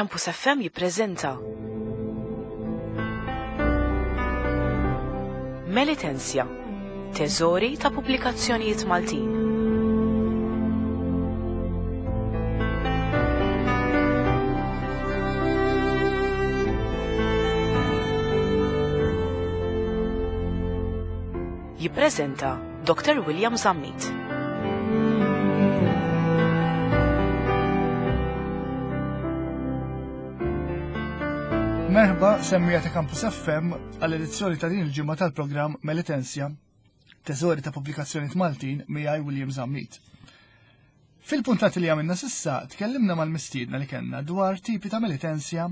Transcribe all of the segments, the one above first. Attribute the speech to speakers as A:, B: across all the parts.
A: Campus FM jippreżenta Melitensja, teżori ta' pubblikazzjonijiet Maltin. Jippreżenta Dr. William Zammit.
B: Merħba semmija ta' Campus FM għall-edizzjoni ta' din il-ġimgħa tal-programm Melitensja, teżori ta' pubblikazzjonijiet Maltin miegħi William Zammit. Fil-puntati li għamilna sissa tkellimna mal-mistiedna li kellna dwar tipi ta' Melitensja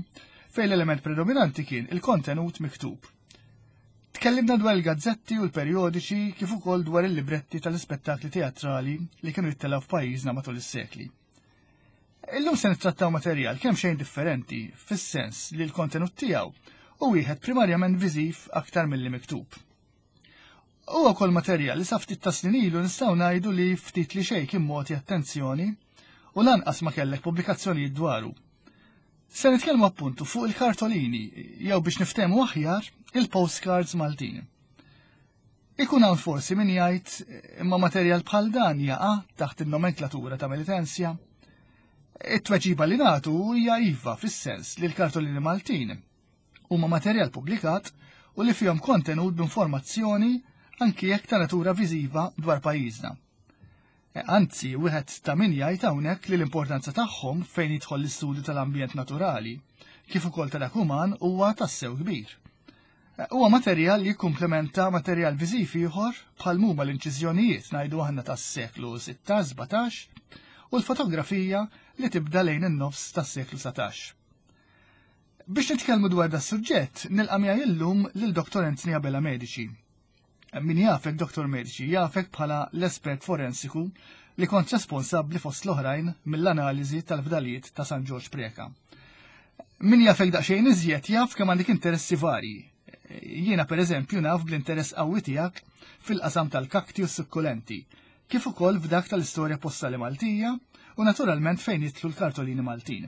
B: fejn l-element predominanti kien il-kontenut miktub. Tkellimna dwar il-gazzetti u l-perjodiċi kif ukoll dwar il-libretti tal-ispettakli teatrali li kienu jittellgħu f'pajjiżna matul is-sekli. Illum se nittrattaw materjal kemm xejn differenti fis-sens li l-kontenut tiegħu hu wieħed primarjament viżiv aktar milli miktub. Huwa wkoll materjal li sa ftit ta' snin ilu nistgħu ngħidu li ftit li xejn kien mogħti attenzjoni u lanqas ma kellek pubblikazzjonijiet dwaru. Se nitkellmu appuntu fuq il-kartolini, jew biex niftehmu aħjar, il-postcards Maltin. Ikun hawn forsi min jgħid imma materjal bħal dan jaqa' taħt in-nomenklatura ta' Melitensja. It-tweġiba li nagħtu hija iva fis-sens li l-kartolini Maltin huma materjal pubblikat u li fihom kontenut b'informazzjoni anki jekk ta' natura viżiva dwar pajjiżna. E, anzi, wieħed ta' min jgħid hawnhekk li l-importanza tagħhom fejn jidħol l-istudju tal-ambjent naturali, kif ukoll ta' dak uman huwa tassew kbir. E, huwa materjal li jikkumplementa materjal viżiv ieħor bħal huma l-inċiżjonijiet ngħidu aħna tas-seklu 16-17 u l-fotografija li tibda lejn in-nofs tas-seklu 19. Biex nitkellmu dwar da suġġett, nilqa' miegħi illum lil Dr. Anthony Abela Medici. Min jafek Dr. Medici jafek bħala l-espert forensiku li kont responsabbli fost l-oħrajn mill-analiżi tal-fdalijiet ta' San Ġorġ Preca. Min jafek daqsxejn iżjed jaf kemm għandek interessi varji. Jiena pereżempju naf bl-interess qawwi tiegħek fil-qasam tal-kakti u s-sukkulenti, kif ukoll f'dak tal-istorja postali Maltija u naturalment fejn jidħlu l-kartolini Maltin.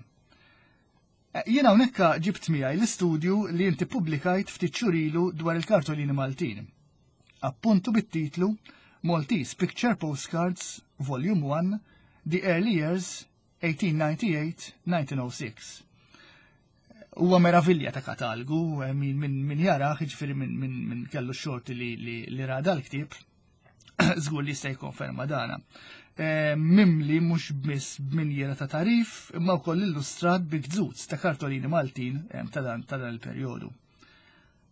B: Eh, jien hawnhekk ġibt miegħi l-istudju li inti pubblikajt ftit xhur ilu dwar il-kartolini Maltin. Appuntu bit-titlu Maltese Picture Postcards Volume 1 The Early Years 1898-1906. Huwa meravilja ta' katalgu, eh, min, min, min jaraħ, jiġifieri min, min, min kellu xorti li, li, li ra dal-ktieb, żgur li jista' jikkonferma dana. Eh, mimli mhux biss b'minjiera ta' tarif, imma wkoll illustrat bi gżuz ta' kartolini Maltin eh, ta' dan ta' dan il-perjodu.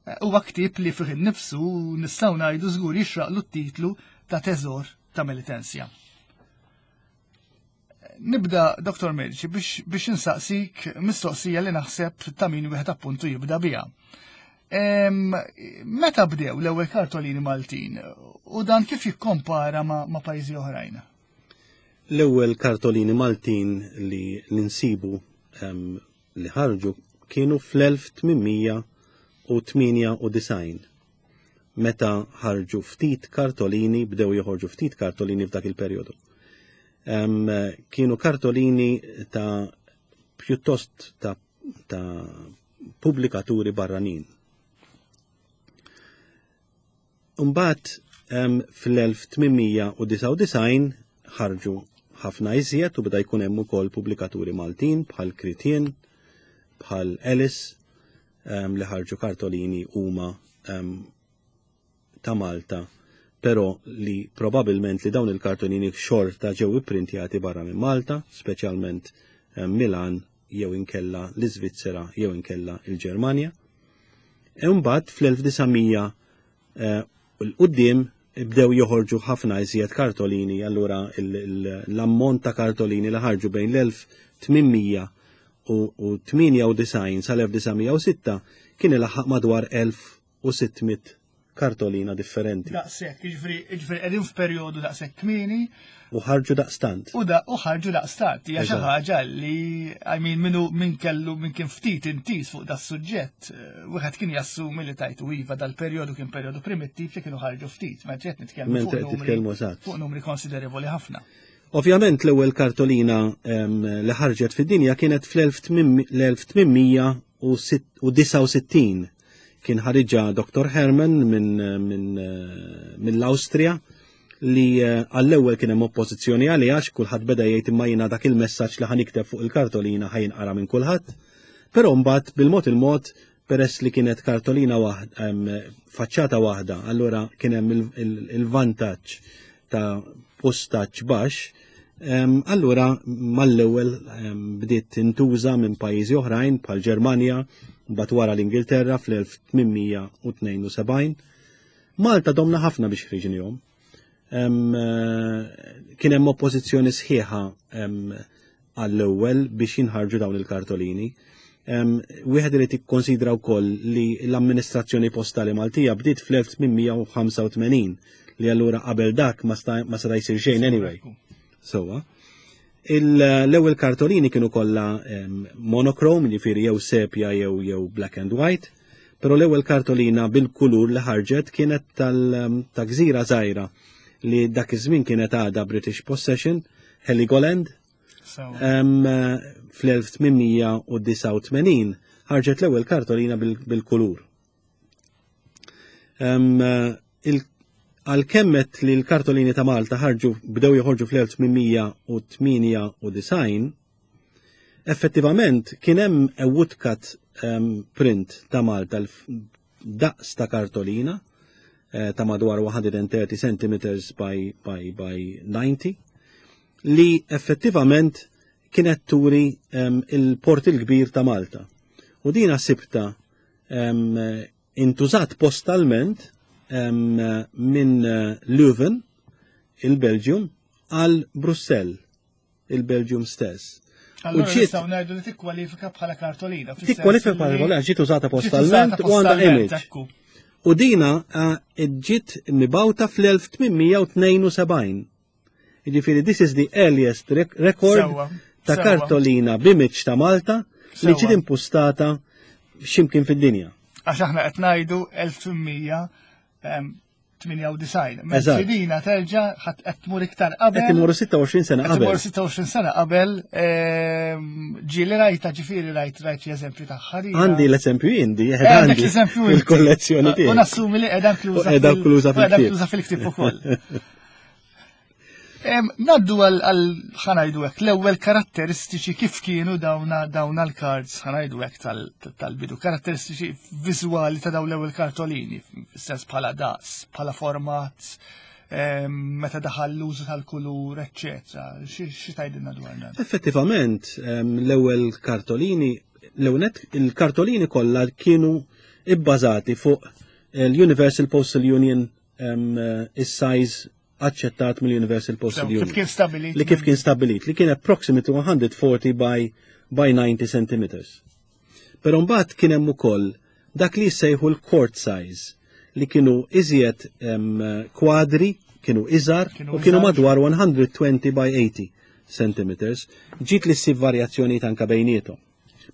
B: Eh, huwa ktieb li fih innifsu nistgħu ngħidu żgur jixraqlu t-titlu ta' teżor ta' Melitensja. Nibda, Dr. Medici, biex, biex insaqsik mistoqsija li naħseb ta' min wieħed appuntu jibda biha. Meta bdew l-ewwel kartolini Maltin u dan kif jikkompara ma', ma pajjiżi oħrajn?
C: L-ewwel kartolini Maltin li ninsibu li ħarġu kienu fl-1898 meta ħarġu ftit kartolini, bdew joħorġu ftit kartolini f'dak il-perjodu. Kienu kartolini ta' pjuttost ta', ta pubblikaturi barranin. Mbagħad fl-1899 ħarġu ħafna iżjed u beda jkun hemm ukoll pubblikaturi Maltin bħal Kritien, bħal Ellis li ħarġu kartolini huma ta' Malta, però li probabilment li dawn il-kartolini xorta ġew ipprintjati barra minn Malta, speċjalment Milan jew inkella l-Iżvizzera jew inkella il-Ġermanja. E mbagħad fl-1900 eh, l-qudiem bdew joħorġu ħafna iżjed kartolini, allura l-ammont ta' kartolini li ħarġu bejn l-1898 sal-1906 kien ilaħħaq madwar 1600 kartolina differenti.
B: Daqshekk, jiġifieri jiġifieri qegħdin f'perjodu daqshekk kmieni.
C: U ħarġu daqstant.
B: U da u ħarġu daqstant. Hija xi ħaġa li I mean minnu min kellu min kien ftit intiż fuq das suġġett, eh, wieħed kien jassumi li tajtu iva dal-perjodu kien perjodu primittiv li kienu ħarġu ftit, ma qed nitkellmu fuq numri, fuq numri konsiderevoli ħafna.
C: Ovvjament l-ewwel kartolina li ħarġet fid-dinja kienet fl-1869 kien ħariġha Dr. Herman mill-Awstrija li eh, għall-ewwel kien hemm oppożizzjoni għaliha għax kulħadd beda jgħid imma jiena dak il-messaġġ li ħanikteb fuq il-kartolina ħajinqara minn kulħadd. Però mbagħad bil-mod il-mod peress li kienet kartolina waħda, faċċata waħda, allura kien hemm il-vantaġġ ta' postaġġ baxx, allura mal-ewwel bdiet tintuża minn pajjiżi oħrajn bħal Ġermanja, mbagħad wara l-Ingilterra fl-1872. Malta domna ħafna biex ħriġnihom. Eh, kien hemm oppożizzjoni sħiħa għall-ewwel biex jinħarġu dawn il-kartolini. Wieħed irid ikkonsidra wkoll li l-amministrazzjoni postali Maltija bdiet fl-1885 li allura qabel dak ma seta' jsir xejn anyway. Sowa. L-ewwel kartolini kienu kollha monochrome, jiġifieri jew sepja jew jew black and white, però l-ewwel kartolina bil-kulur li ħarġet kienet ta' gżira żgħira li dak iż-żmien kienet għadha British Possession, Heligoland. Fl-1889 ħarġet l-ewwel kartolina bil-kulur. Għalkemm għedt li l-kartolini ta' Malta ħarġu bdew joħorġu fl-1898, effettivament kien hemm a woodcut print ta' Malta daqs ta' kartolina eh, ta' madwar 130 cm by, by, by 90 li effettivament kienet turi um, il-port il-kbir ta' Malta. U dina sibta um, intużat postalment um, minn eh, Leuven, il-Belgium, għal Brussell il-Belgium stess.
B: Allura nistgħu ngħidu li tikkwalifika bħala kartolina.
C: Tikkwalifika bħala kartolina ġiet użata postalment u għandha image. U dina eh, ġiet mibawta fl-1872. Jiġifieri this is the earliest record ta' kartolina b'image ta' Malta li ġiet impustata x'imkien fid-dinja.
B: Għax aħna qed ngħidu 1800 98. Mentri dina terġa' ħadd qed tmur iktar qabel.
C: Qed imorru 26 sena qabel.
B: Qed imorru 26 sena qabel. Ehm, ġieli rajta ġifieri rajt rajt xi eżempju tagħha.
C: Għandi l-eżempju indi, eh, għandi l-eżempju il-kollezzjoni tiegħi.
B: U nassumi li qiegħda inkluża.
C: Qiegħda inkluża
B: fil-ktieb ukoll. Naddu għal ħanajdu hekk l-ewwel karatteristiċi kif kienu dawna dawna l-cards ħanajdu hekk tal-bidu, karatteristiċi viżwali ta' dawn l-ewwel kartolini, fis-sens bħala daqs, bħala format, meta daħal l-użu tal-kulur, eċċetera. Xi tgħidilna dwar dan?
C: Effettivament, l-ewwel kartolini, l-ewwel il-kartolini kollha kienu ibbażati fuq l-Universal Postal Union is-size aċċettat mill-Universal Postal Union.
B: Kif kien stabilit?
C: Li kif kien stabilit, li kien approximately 140 by, by 90 centimeters. Pero mbagħad kien hemm ukoll dak li jsejħu l-court size li kienu iżjed kwadri, kienu iżgħar u kienu madwar 120 by 80 centimeters. Ġiet li ssib varjazzjoni anka bejniethom.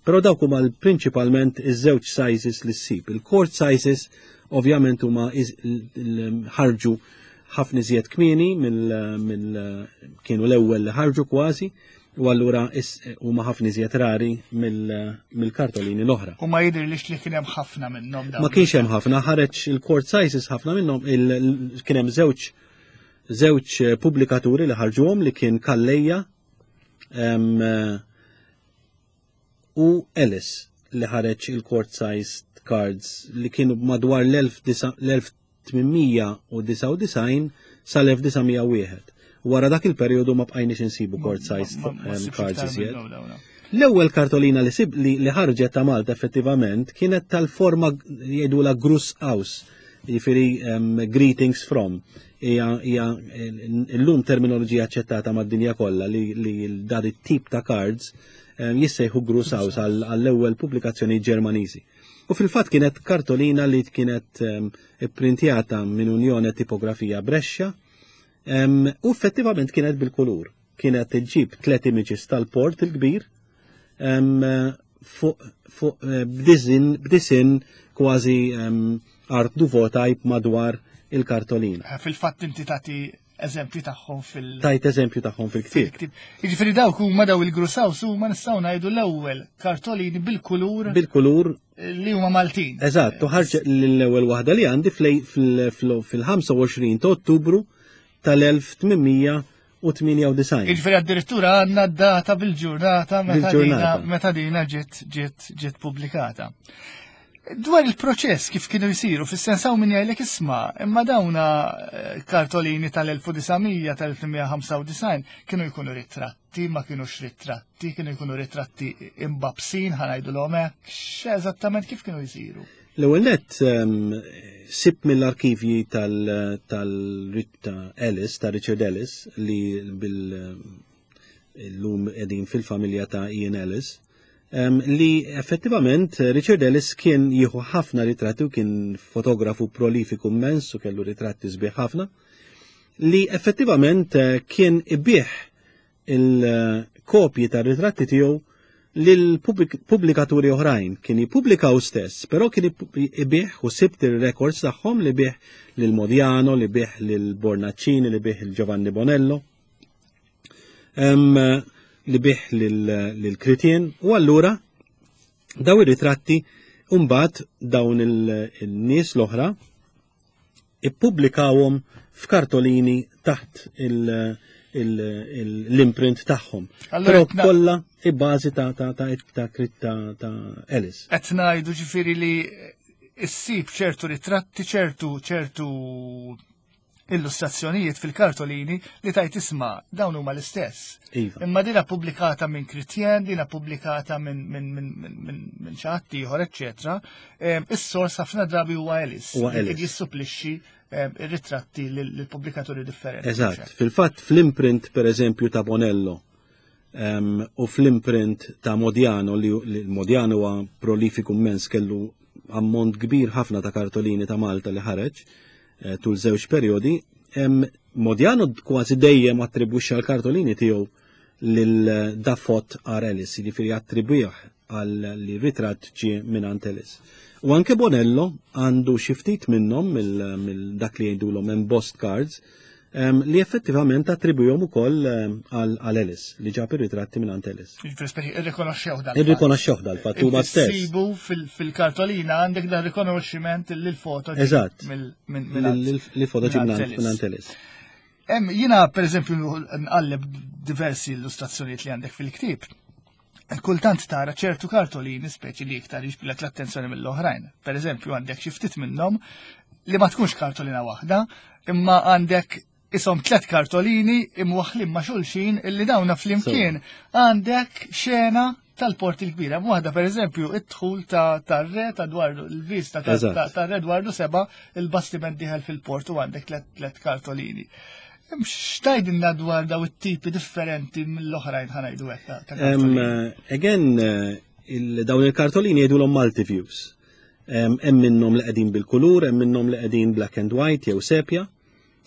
C: Però dawk huma prinċipalment iż-żewġ sizes li ssib. Il-court sizes ovvjament huma ħarġu ħafna iżjed kmieni mill kienu l-ewwel li ħarġu kważi u allura huma ħafna iżjed rari mill-kartolini l-oħra.
B: U ma jidhirlix li kien hemm ħafna minnhom
C: dawn. Ma kienx hemm ħafna, ħareġ il-court sizes ħafna minnhom kien hemm żewġ żewġ pubblikaturi li ħarġuhom li kien Kalleja u Ellis li ħareġ il-court sized cards li kienu madwar l-1899 sal-1901. Wara dak il-perjodu ma bqajniex insibu court sized cards iżjed. L-ewwel kartolina li sib li ħarġet ta' Malta effettivament kienet tal-forma jgħidula Gruss Aus, jiġifieri greetings from. Hija illum terminoloġija aċċettata mad-dinja kollha li, li dan it-tip ta' cards jissejħu Gruss Aus għall-ewwel pubblikazzjoni Ġermaniżi. U fil-fatt kienet kartolina li kienet ipprintjata minn Unjone Tipografija Brescia u effettivament kienet bil-kulur. Kienet iġġib tlet images tal-port il-kbir fuq fuq eh, b'disin kważi art nouveau type madwar il-kartolina.
B: Eh, fil-fatt inti tagħti eżempju tagħhom fil-
C: Tajt eżempju tagħhom fil-ktieb.
B: Jiġifieri dawk huma daw il-Grusaws huma nistgħu ngħidu l-ewwel kartolini bil-kulur.
C: Bil-kulur
B: li huma Maltin.
C: Eżatt, u ħarġet l-ewwel waħda li għandi fil-25 ta' Ottubru tal-1898.
B: Jiġifieri addirittura għandna data bil-ġurnata meta dina ġiet ġiet ġiet pubblikata. Dwar il-proċess kif kienu jsiru, fis-sens hawn min jgħidlek isma', imma dawna eh, kartolini tal-1900 tal-1895 kienu jkunu ritratti, ma kienux ritratti, kienu jkunu ritratti imbabsin, ħanajdulhom hekk, x'eżattament kif kienu jsiru?
C: L-ewwel nett ehm, sib mill-arkivji tal-Ritta Ellis, ta' Richard Ellis, li bil llum qegħdin fil-familja ta' Ian Ellis, li effettivament Richard Ellis kien jieħu ħafna ritratti u kien fotografu prolifiku immens u kellu ritratti sbieħ ħafna, li effettivament eh, kien ibih il-kopji ta' ritratti tiegħu lil pubblikaturi oħrajn kien jippubblikaw stess, però kien ibih u sibt il-records tagħhom li bih lil Modiano, li bih lil Bornaccini, li bih il Giovanni Bonello. li bih lil-Kritien u allura daw ir-ritratti mbagħad dawn il-nies l-oħra ippubblikawhom f'kartolini taħt l-imprint tagħhom. Però kollha i-bażi ta' ta' ta' ta' ta' Ellis.
B: Qed ngħidu ġifieri li issib ċertu ritratti, ċertu ċertu illustrazzjonijiet fil-kartolini li tajt isma' dawn huma l-istess.
C: Iva.
B: Imma dina pubblikata minn Kritjen, dina pubblikata minn min, min, min, min xi ħadd ieħor, eċċetera. Is-sors ħafna drabi huwa Ellis.
C: Huwa Ellis.
B: Jissupplixxi ir-ritratti lill-pubblikaturi differenti.
C: Eżatt. Fil-fatt fl-imprint pereżempju ta' Bonello u fl-imprint ta' Modiano li Modiano huwa prolifiku immens kellu ammont kbir ħafna ta' kartolini ta' Malta li ħareġ eh, tul żewġ perjodi, Modiano kważi dejjem attribwixxa l-kartolini tiegħu lil Dafot R. Ellis, jiġifieri attribwih għal li ritratt ġie minn Ellis. U anke Bonello għandu xi ftit minnhom mill dak li jgħidulhom embossed cards li effettivament attribwihom ukoll għal Ellis li ġab ir-ritratti minn Ellis.
B: Jiġifieri irrikonoxxew dal.
C: Irrikonoxxew dal-fatt huma stess.
B: Sibu fil-kartolina għandek dan rikonoxximent li l-foto
C: Eżatt. Li foto ġie minn Ellis.
B: Jiena pereżempju nqalleb diversi illustrazzjonijiet li għandek fil-ktieb. Kultant tara ċertu kartolini speċi li iktar jiġbdilek l-attenzjoni mill-oħrajn. Per eżempju, għandek xi ftit minnhom li ma tkunx kartolina waħda, imma għandek isom tlet kartolini imwaħħlin ma' xulxin illi dawna flimkien għandek xena tal-port il-kbira. Waħda per eżempju, id-dħul ta' tar-re ta' Dwardu, il-vista ta' re Dwardu seba' il-bastiment diħel fil-port u għandek tlet kartolini. X'tajdilna dwar daw it-tipi differenti mill-oħrajn ħanajdu hekk ta'
C: kartolini? Again, eh, dawn il-kartolini jgħidulhom multi-views. Hemm minnhom li qegħdin bil-kulur, hemm minnhom li qegħdin black and white jew sepja.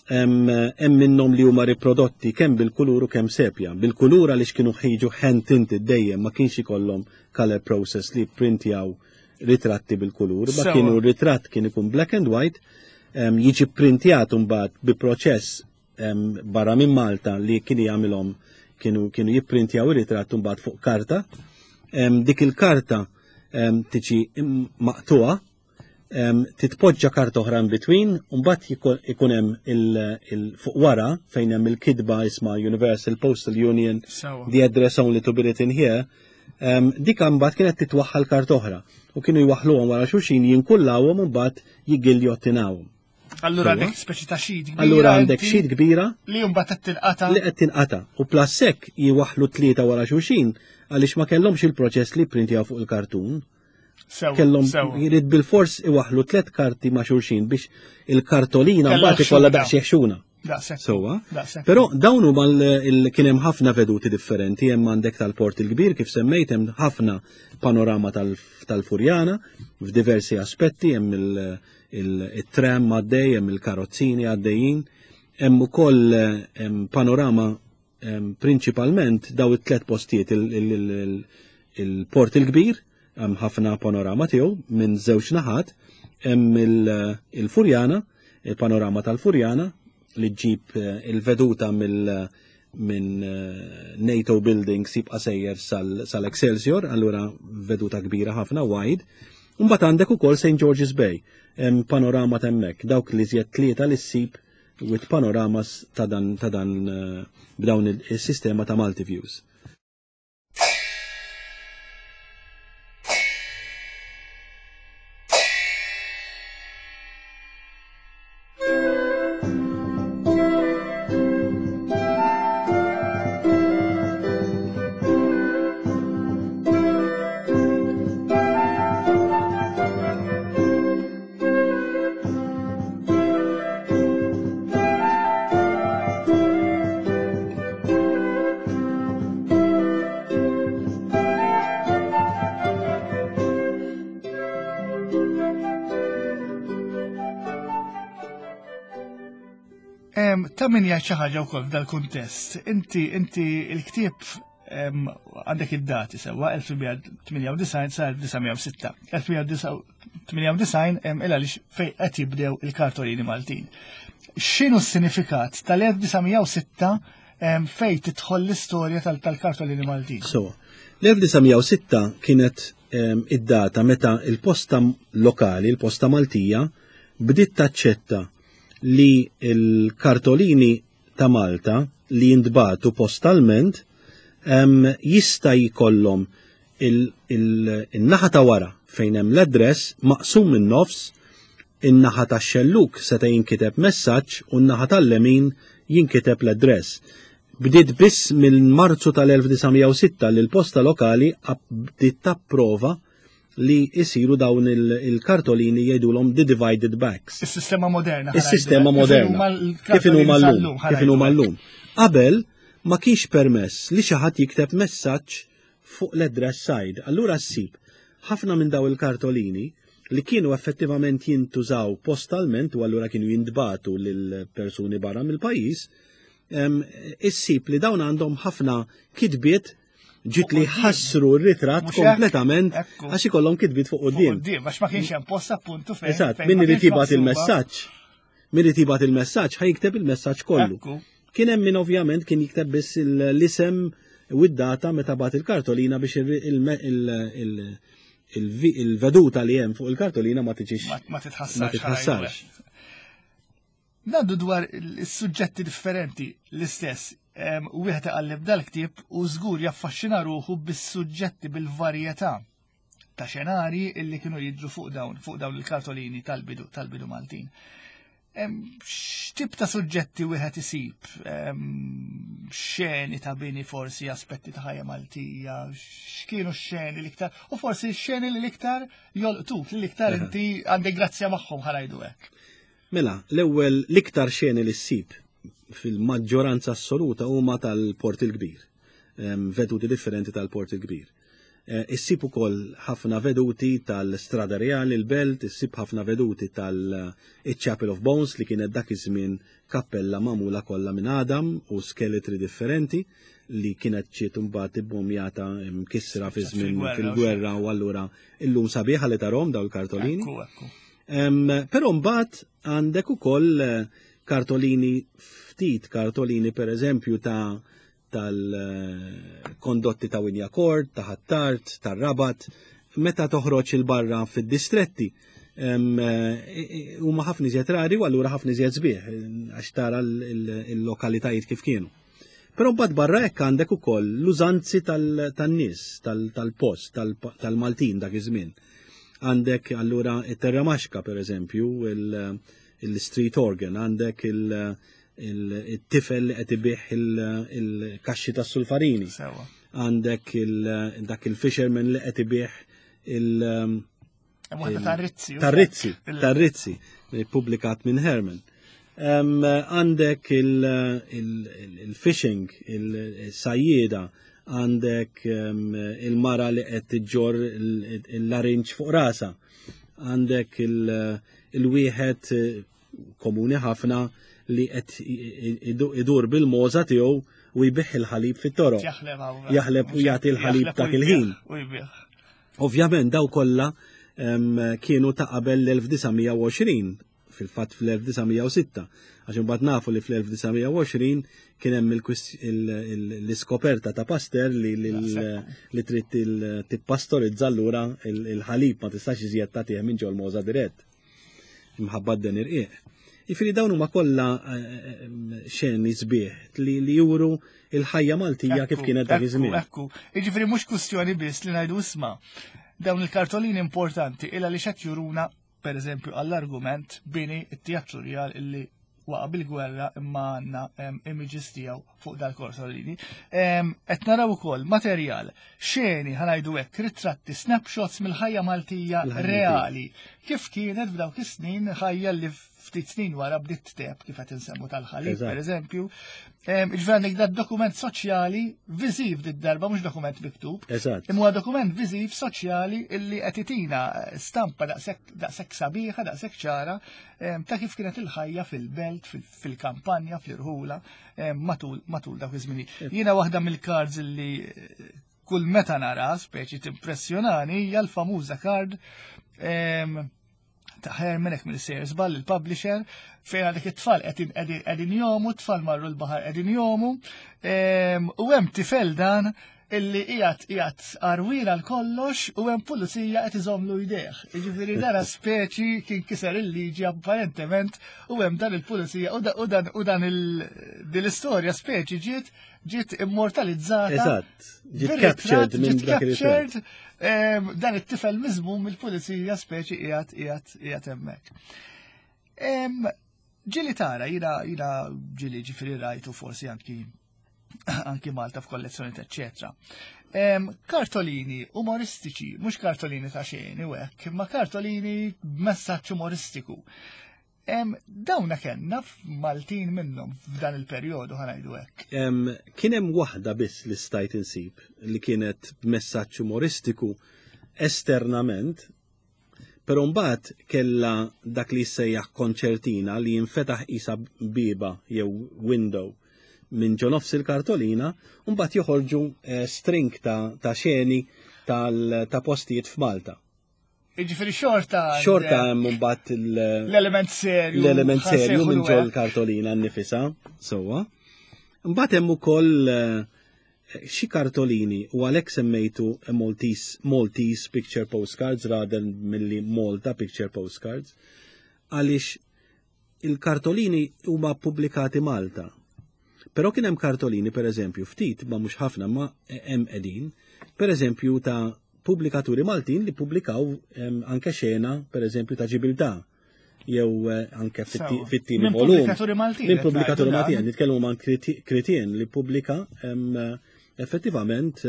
C: Hemm minnhom li huma riprodotti kemm bil-kulur u kemm sepja. Bil-kulur għaliex kienu ħiġu hand tinted dejjem ma kienx ikollhom color process li printjaw ritratti bil-kulur, ma kienu ritratt kien ikun black and white, jiġi printjat mbagħad bi proċess barra minn Malta li kien jagħmilhom kienu kienu jipprintjaw ir-ritratt mbagħad fuq karta. Dik il-karta tiġi maqtuha titpoġġa karta oħra in between, u mbagħad ikun hemm il fuq wara fejn hemm il-kitba isma' Universal Postal Union, the address only to be written here, dik mbagħad kienet titwaħħal karta oħra u kienu jwaħħluhom wara xulxin jinkullawhom u mbagħad jiggiljotinawhom.
B: Allura għandek speċi ta' xid kbira.
C: Allura għandek xid kbira.
B: Li mbagħad qed tinqata.
C: Li qed tinqata. U plassek jiwaħħlu tlieta wara xulxin għaliex ma kellhomx il-proċess li printjaw fuq il-kartun. Kellhom jrid bil-fors iwaħlu tliet karti ma' xulxin biex il-kartolina mbagħad ikollha daqsxejn ħxuna.
B: Sewwa.
C: Però dawn huma kien hemm ħafna veduti differenti, hemm għandek tal-Port il-Kbir kif semmejt hemm ħafna panorama tal-Furjana f'diversi aspetti, hemm il-tram għaddej, hemm il-karozzini għaddejjin, hemm ukoll panorama Prinċipalment daw it-tlet postijiet il-Port il-Kbir, hemm ħafna panorama tiegħu minn żewġ naħat, hemm il-Furjana, il-panorama tal-Furjana, li ġġib eh, il-veduta mill minn eh, NATO buildings jibqa' sejjer sal-Excelsior, allura veduta kbira ħafna wide. Mbagħad għandek ukoll St. George's Bay, hemm panorama t'hemmhekk, dawk li żjed tlieta li ssib with panoramas ta' dan ta' dan eh, b'dawn il-sistema ta' multi-views.
B: Ta' min jgħid xi ħaġa wkoll f'dal-kuntest. Inti inti l-ktieb għandek id-dati sewwa 1998 sa 1906. 1998 il għaliex fejn qed jibdew il-kartolini Maltin. X'inhu s-sinifikat tal-1906 fejn tidħol l-istorja tal-kartolini Maltin?
C: So, l-1906 kienet id-data meta il-posta lokali, il-posta Maltija, bdiet taċċetta li l-kartolini ta' Malta li jintbagħtu postalment jista' jkollhom il-naħa ta' wara fejn hemm l-address maqsum minn nofs, in-naħa tax-xellug seta' jinkiteb messaġġ u n-naħa tal-lemin jinkiteb l-address. Bdiet biss minn Marzu tal-1906 li l-posta lokali bdiet tapprova li jisiru dawn il-kartolini jgħidulhom the divided backs.
B: Is-sistema moderna.
C: Is-sistema moderna. Kif inhuma llum. Kif inhuma llum. Qabel ma kienx permess li xi ħadd jikteb messaġġ fuq l-address side. Allura ssib ħafna minn daw il-kartolini li kienu effettivament jintużaw postalment u allura kienu jintbatu lil persuni barra mill-pajjiż, issib li dawn għandhom ħafna kitbiet ġiet li ħassru r-ritratt kompletament għax ikollhom kitbiet fuq quddiem.
B: Għax ma kienx hemm post appuntu fejn.
C: Eżatt, min irid jibgħat il-messaġġ, min irid jibgħat il-messaġġ ħa jikteb il-messaġġ kollu. Kien hemm min ovvjament kien jikteb biss l-isem u id-data meta bagħat il-kartolina biex il-veduta li hemm fuq il-kartolina ma tiġix.
B: Ma titħassarx. Ngħaddu dwar is-suġġetti differenti l-istess. Wieħed iqalleb dal-ktieb u żgur jaffaxxina ruħu bis-suġġetti bil-varjetà ta' xenarji illi kienu jidru fuq dawn fuq dawn il-kartolini tal-bidu tal-bidu Maltin. X'tip ta' suġġetti wieħed isib? Xeni ta' bini forsi aspetti ta' ħajja Maltija, x'kienu x-xeni l-iktar u forsi x-xeni li l-iktar jolqtuk, li l-iktar inti għandek grazzja magħhom ħarajdu hekk.
C: Mela, l-ewwel l-iktar xeni li ssib fil-maġġoranza assoluta huma tal-Port il-Kbir, veduti differenti tal-Port il-Kbir. Eh, issib ukoll ħafna veduti tal-Strada Reali, l-Belt, issib ħafna veduti tal-Chapel of Bones li kienet dak iż-żmien kappella magħmula kollha minn Adam u skeletri differenti li kienet ġiet imbagħad ibbomjata mkissra fi żmien fil-gwerra u allura illum sabiħa li tarhom daw il-kartolini. Però mbagħad għandek ukoll eh, kartolini ftit kartolini per eżempju ta' tal-kondotti ta' Winjakord, ta' Ħattart, ta' Rabat, meta toħroġ il-barra fid-distretti eh, huma ħafna iżjed rari u allura ħafna iżjed sbieħ għax tara l-lokalitajiet kif kienu. Però mbagħad barra hekk għandek ukoll l-użanzi tan-nies, tal-post, tal-Maltin dak iż-żmien. Għandek allura it-terramaxka pereżempju, il-street organ, għandek il-tifel li qed ibih il-kaxxi tas-sulfarini. Għandek dak il-fisherman li qed ibih il-
B: Tarrizzi.
C: Tarrizzi, Tarrizzi, publikat minn Herman. Għandek il-fishing, il-sajjieda, għandek il-mara li qed tiġġor il-larinġ fuq rasa, għandek il-wieħed komuni ħafna li qed idur bil-moza tiegħu u jbigħ il-ħalib fit-toroq. Jaħleb u jagħti l-ħalib dak il-ħin. Ovvjament daw kollha kienu ta' qabel l-1920. fil-fatt fl-1906, għax imbagħad nafu li fl-1920 kien hemm l-iskoperta ta' Pasteur li li trid tippastorizza allura il-ħalib ma tistax iżjed tagħtih minn ġol mogħża dirett. Imħabba d-den irqiq. Jifieri dawn huma kollha eh, eh, xeni sbieħ li, li juru il-ħajja Maltija kif kienet dak iż-żmien.
B: Ekku, jiġifieri mhux kwistjoni biss li ngħidu isma' dawn il-kartolini importanti illa li xed juruna per eżempju għall-argument bini it-teatru rjal illi waqa bil-gwerra imma għandna images tiegħu fuq dal-korsolini. Qed naraw ukoll materjal, xeni ħanajdu hekk, ritratti, snapshots mill-ħajja Maltija reali. Kif kienet f'dawk is-snin ħajja li ftit snin wara bdiet teb kif qed insemmu tal-ħalib, per eżempju. Ġifieri għandek dat dokument soċjali viżiv dit darba mhux dokument miktub. Imma dokument viżiv soċjali illi qed itina stampa daqshekk sabiħa, daqshekk ċara ta' kif kienet il-ħajja fil-belt, fil-kampanja, fl-irħula matul matul dawk iż-żminijiet. Jiena waħda mill-cards li eh, kull meta nara speċi timpressjonani hija l-famuża card ta' Herman hekk mill-sejjer żball il-publisher fejn għandek it-tfal qegħdin jomu, t-tfal marru l-baħar qegħdin jomu, u hemm tifel dan illi qiegħed qiegħed għarwien għal kollox u hemm pulizija qed iżomlu jdejh. Jiġifieri dara speċi kien kiser il-liġi apparentement u hemm dan il-pulizija u dan u dan din l-istorja speċi ġiet ġiet immortalizzata.
C: Eżatt, ġiet captured minn dak
B: il Dan it-tifel miżmum mill-pulizija speċi qiegħed qiegħed qiegħed hemmhekk. Ġili tara, jina jina ġili ġifieri rajtu forsi anki anki Malta f'kollezzjoni eċċetera. Kartolini umoristiċi, mhux kartolini ta' xejn u hekk, imma kartolini b'messaġġ umoristiku. Dawna kellna f'Maltin minnhom f'dan il-perjodu ħanajdu hekk.
C: Kien hemm waħda biss li stajt insib li kienet b'messaġġ umoristiku esternament Però mbagħad kellha dak li jissejjaħ konċertina li jinfetaħ qisha bieba jew window minn ġo nofs il-kartolina u mbagħad joħorġu eh, string ta', ta xeni ta' postijiet f'Malta.
B: Jiġifieri xorta.
C: Xorta hemm mbagħad
B: l-element serju.
C: L-element serju minn ġol kartolina nnifisha, sewwa. Mbagħad hemm ukoll eh, Xi kartolini u għalhekk semmejtu Maltese, Maltese Picture Postcards rather milli Malta Picture Postcards, għaliex il-kartolini huma pubblikati Malta. Però kien hemm kartolini pereżempju ftit ma mhux ħafna ma hemm qegħdin, pereżempju ta' pubblikaturi Maltin li pubblikaw anke xena pereżempju ta' Ġibiltà jew eh, anke fit-tieni
B: volum. Minn pubblikaturi Maltin.
C: Minn pubblikaturi Maltin, nitkellmu ma' Kritien li pubblika eh, effettivament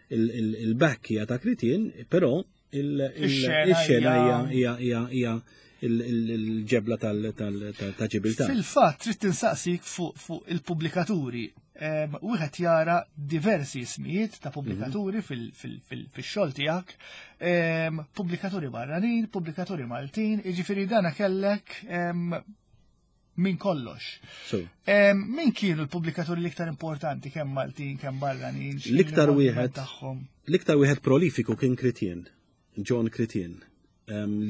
C: il-back hija ta' Kritien, però il-xena hija hija il-ġebla ta' ġibilta.
B: Fil-fatt, trid tinsaqsik fuq il-pubblikaturi wieħed jara diversi ismijiet ta' pubblikaturi mhm. fil-xogħol tiegħek, pubblikaturi barranin, pubblikaturi Maltin, jiġifieri dana kellek minn kollox. Min kienu l-pubblikaturi l-iktar importanti kemm Maltin, kemm barranin?
C: L-iktar wieħed tagħhom. L-iktar wieħed prolifiku kien Kritien. John Critien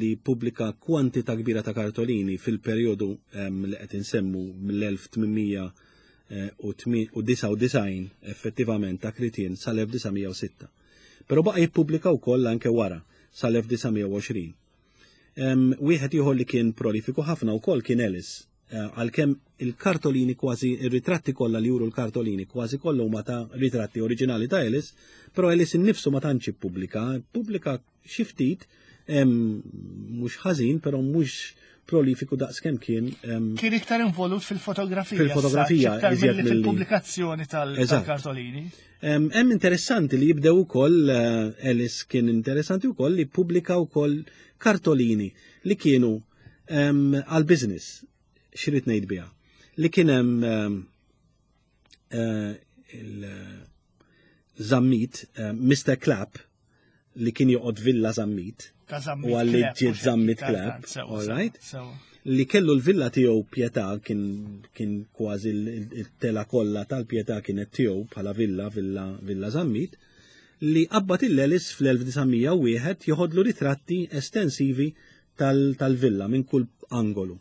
C: li pubblika kwantità kbira ta' kartolini fil-perjodu li qed insemmu mill-1899 effettivament ta' Critien sal-1906. Però baqa' jippubblika wkoll anke wara sal-1920. Wieħed ieħor li kien prolifiku ħafna wkoll kien Ellis Eh, għalkemm il-kartolini kważi, ir-ritratti kollha li juru l-kartolini kważi kollha huma ta' ritratti oriġinali ta' Ellis, però Ellis innifsu ma tantx ippubblika, pubblika xi ftit mhux ħażin, però mhux prolifiku daqs kemm kien.
B: Kien iktar involut fil-fotografija.
C: Fil-fotografija,
B: iżjed fil-pubblikazzjoni tal-kartolini.
C: Hemm interessanti li jibdew ukoll eh, Ellis kien interessanti wkoll li pubblika wkoll kartolini li kienu għal business xirrit ngħid biha li kien hemm eh, il-Zammit, eh, Mr. Clapp, li kien joqgħod Villa Zammit, u għalli ġiet Zammit Clapp, all right? Li kellu l-villa tiegħu Pietà kien kien kważi il-tela kollha tal-Pietà kienet tiegħu bħala villa, villa, villa Zammit, li qabbat il-Elis fl-1901 joħodlu ritratti estensivi tal-villa minn kull angolu.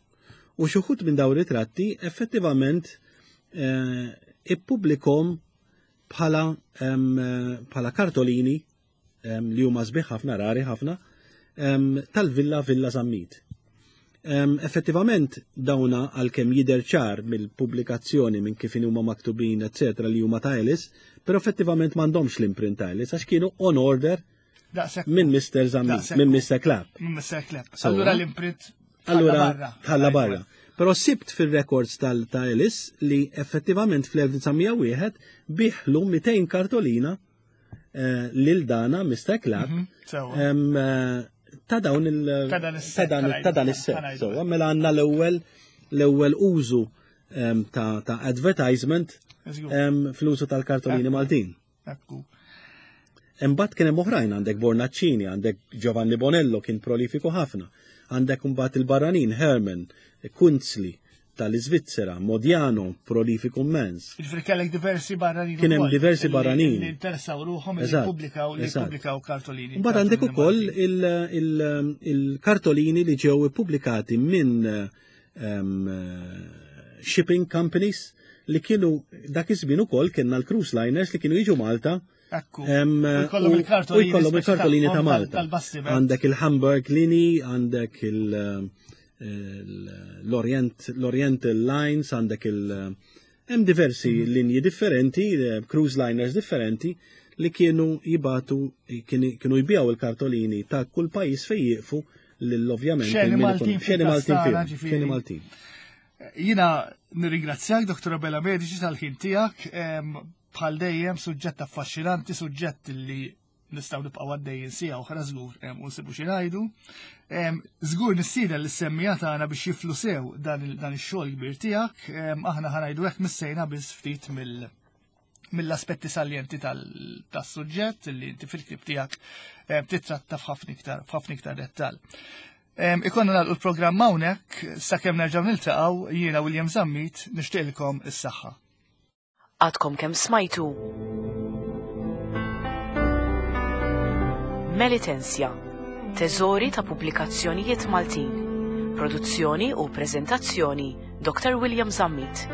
C: U xi wħud minn dawn ritratti effettivament eh, ippubblikhom bħala bħala kartolini li huma sbieħ ħafna rari ħafna tal-Villa Villa Zammit. Effettivament dawna għalkemm jidher ċar mill-pubblikazzjoni minn kif huma maktubin eċetera li huma ta' Ellis, però effettivament m'għandhomx l-imprint ta' Ellis għax kienu on order minn Mr. Zammit, minn Mr. Clapp.
B: Minn Mr. Clapp. Allura l-imprint
C: Allura tħalla barra. Però sibt fil-records tal ta' Ellis li effettivament fl-1901 biħlu 200 kartolina eh, lil dana Mr. Clapp mhm, eh, ta' dawn il ta' dan is-set. So, mela għandna l-ewwel l-ewwel użu ta' advertisement fl-użu tal-kartolini Maltin.
B: Ekku.
C: Imbagħad kien hemm oħrajn għandek Bornaccini, għandek Giovanni Bonello kien prolifiku ħafna, għandek imbagħad il-barranin Herman, Kunzli tal-Iżvizzera, Modiano, prolifiku immens.
B: Jiġifieri kellek diversi barranin.
C: Kien hemm diversi barranin.
B: Li interessaw ruħhom li jippubblikaw li jippubblikaw kartolini.
C: Imbagħad għandek ukoll il-kartolini li ġew ippubblikati minn ehm, shipping companies li kienu dak iż-żmien ukoll kienna l-cruise liners li kienu jiġu Malta.
B: Ekku. U
C: jkollhom il-kartolini ta' Malta. Għandek il-Hamburg Lini, għandek l-Orient l-Oriental Lines, għandek il- hemm diversi mhm. linji differenti, eh, cruise liners differenti li kienu jibatu kienu jbijaw il-kartolini ta' kull pajjiż fejn jieqfu l-ovvjament.
B: Xeni Maltin.
C: Xeni Maltin. Xeni Maltin.
B: Jina nirringrazzjak, Dr. Abela Medici, tal-ħin tiegħek. Bħal dejjem suġġett affaxxinanti, suġġett li nistgħu nibqgħu għaddejjin sija oħra żgur u nsibu xi ngħidu. Żgur nistieden lis semmija tagħna biex jiflu sew dan ix-xogħol kbir tiegħek. Aħna ħanajdu hekk missejna biss ftit mill- mill-aspetti saljenti tas-suġġett li inti fil-ktieb tiegħek titratta f'ħafna iktar f'ħafna iktar dettall. Ikonna nagħlqu l-programm hawnhekk sakemm nerġgħu niltaqgħu jiena William Zammit nixtieqilkom is-saħħa.
A: Għadkom kemm smajtu Melitensja, teżori ta' pubblikazzjonijiet Maltin. Produzzjoni u preżentazzjoni Dr. William Zammit.